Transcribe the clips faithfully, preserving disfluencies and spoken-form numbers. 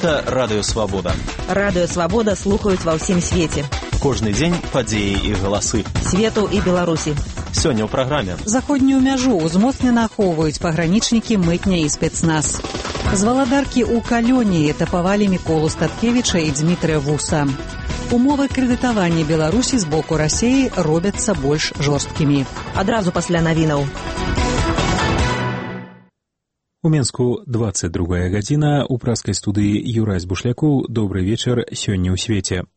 Гэта Радыё Свабода. Радыё Свабода слухаюць ва ўсім свеце. Кожны дзень падзеі і галасы. Свету і Беларусі. Сёння ў праграме. Заходнюю мяжу ўзмоцнена ахоўваюць пагранічнікі, мытня і спецназ. З валадаркі ў Калёні этапавалі Міколу Статкевіча і Дзмітрыя Вуса. Умовы крэдытавання Беларусі з боку Расіі робяцца больш жорсткімі. Адразу пасля навінаў. У Менску двадцать другая гадзіна, у праскай студыі Юрась Бушляку. Добрый вечар, сёння ў свеце.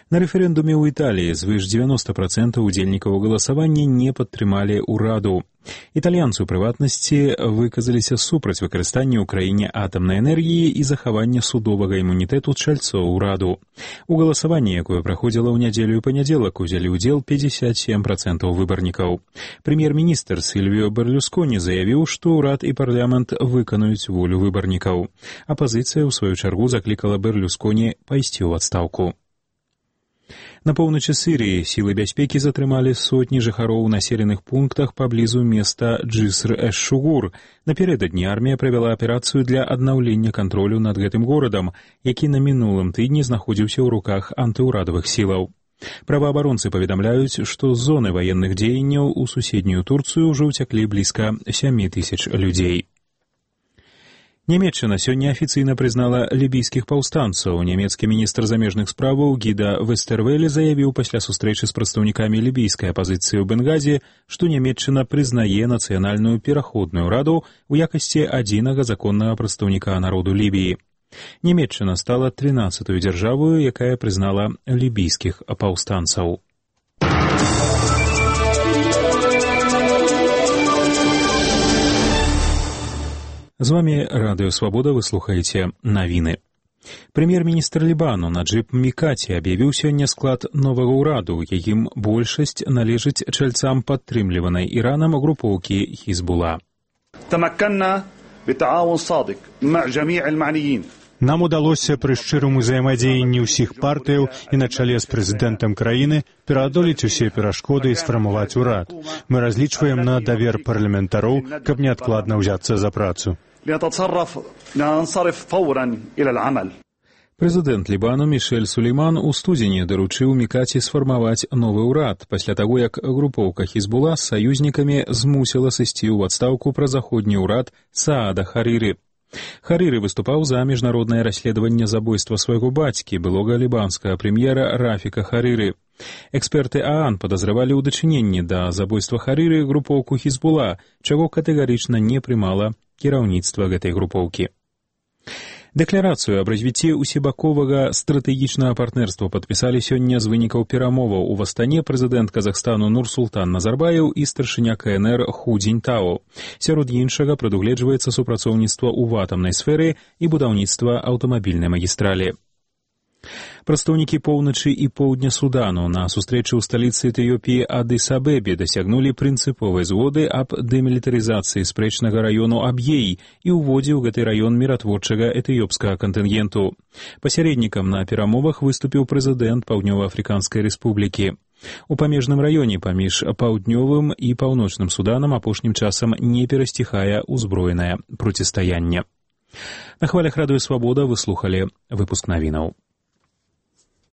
На рэферэндуме ў Італіі звыш девяносто процентов удзельнікаў галасавання не падтрымалі ўраду. Італьянцы, у прыватнасці, выказаліся супраць выкарыстання ў краіне атамнай энергіі і захавання судовага імунітэту чальцоў ураду. У галасаванні, якое праходзіла ў нядзелю і панядзелак, узялі ўдзел пятьдесят семь процентов выбарнікаў. Прэм'ер-міністр Сільвіо Берлюсконі заявіў, што ўрад і парламент выканаюць волю выбарнікаў. Апазіцыя, у сваю чаргу, заклікала Берлюсконі пайсці ў адстаўку. На поўначы Сірыі сілы бяспекі затрымалі сотні жыхароў у населеных пунктах паблізу места Джиср-эш-Шугур. Напярэдадні армія правяла аперацыю для аднаўлення кантролю над гэтым горадам, які на мінулым тыдні знаходзіўся ў руках антыўрадавых сілаў. Праваабаронцы паведамляюць, што з зоны ваенных дзеянняў у суседнюю Турцыю ўжо ўцяклі блізка сем тысяч людзей. Нямецчына сёння афіцыйна прызнала лібійскіх паўстанцаў. Нямецкі міністр замежных справаў Гіда Вестервеле заявіў пасля сустрэчы з прадстаўнікамі лібійскай апазіцыі ў Бенгазе, што Нямецчына прызнае нацыянальную пераходную раду ў якасці адзінага законнага прадстаўніка народу Лібіі. Нямецчына стала трынаццатой дзяржавою, якая прызнала лібійскіх паўстанцаў. З вами Радыё Свабода, вы слухаеце навіны. Прэм'ер-міністр Лібану Наджыб Мікаці аб'явіў сёння склад новага ўраду, якім большасць належыць чальцам падтрымліванай Іранам групоўкі Хізбула. Нам удалося пры шчырым узаемадзеянні ўсіх партыяў і на чале з прэзідэнтам краіны пераадолець усе перашкоды і сфармаваць урад. Мы разлічваем на давер парламентароў, каб неадкладна ўзяцца за працу. Прэзідэнт Лібану Мішэль Сулейман у студзені даручыў Мікаці сфармаваць новы ўрад пасля таго, як групоўка Хізбула з саюзнікамі змусіла сысці ў адстаўку пра заходні ўрад Саада Харіры. Харіры выступаў за міжнароднае расследаванне забойства свайго бацькі, былога лібанскага прэм'ера Рафіка Харіры. Эксперты ААН падазравалі ў дачыненні да забойства Харіры групоўку Хізбула, чаго катэгарычна не прымала кіраўніцтва гэтай групоўкі. Дэкларацыю аб развіцці усебаковага стратэгічнага партнерства падпісалі сёння з вынікаў перамоваў у Астане прэзідэнт Казахстану Нурсултан Назарбаев і старшыня КНР Ху Цзіньтао. Сярод іншага прадугледжваецца супрацоўніцтва ў атамнай сферы і будаўніцтва аўтамабільнай магістралі. Прадстаўнікі поўначы і поўдня Судану на сустрэчы ў сталіцы Этыёпіі Адыс-Абебе дасягнулі прынцыповай згоды аб дэмілітарызацыі спрэчнага раёну Аб'ей і ўводзе ў гэты раён міратворчага этыёпскага кантынгенту. Пасярэднікам на перамовах выступіў прэзідэнт Паўднёва-Афрыканскай рэспублікі. У памежным раёне паміж паўднёвым і паўночным Суданам апошнім часам не перасціхае ўзброенае процістаянне. На хвалях Радыё Свабода вы слухалі выпуск навінаў.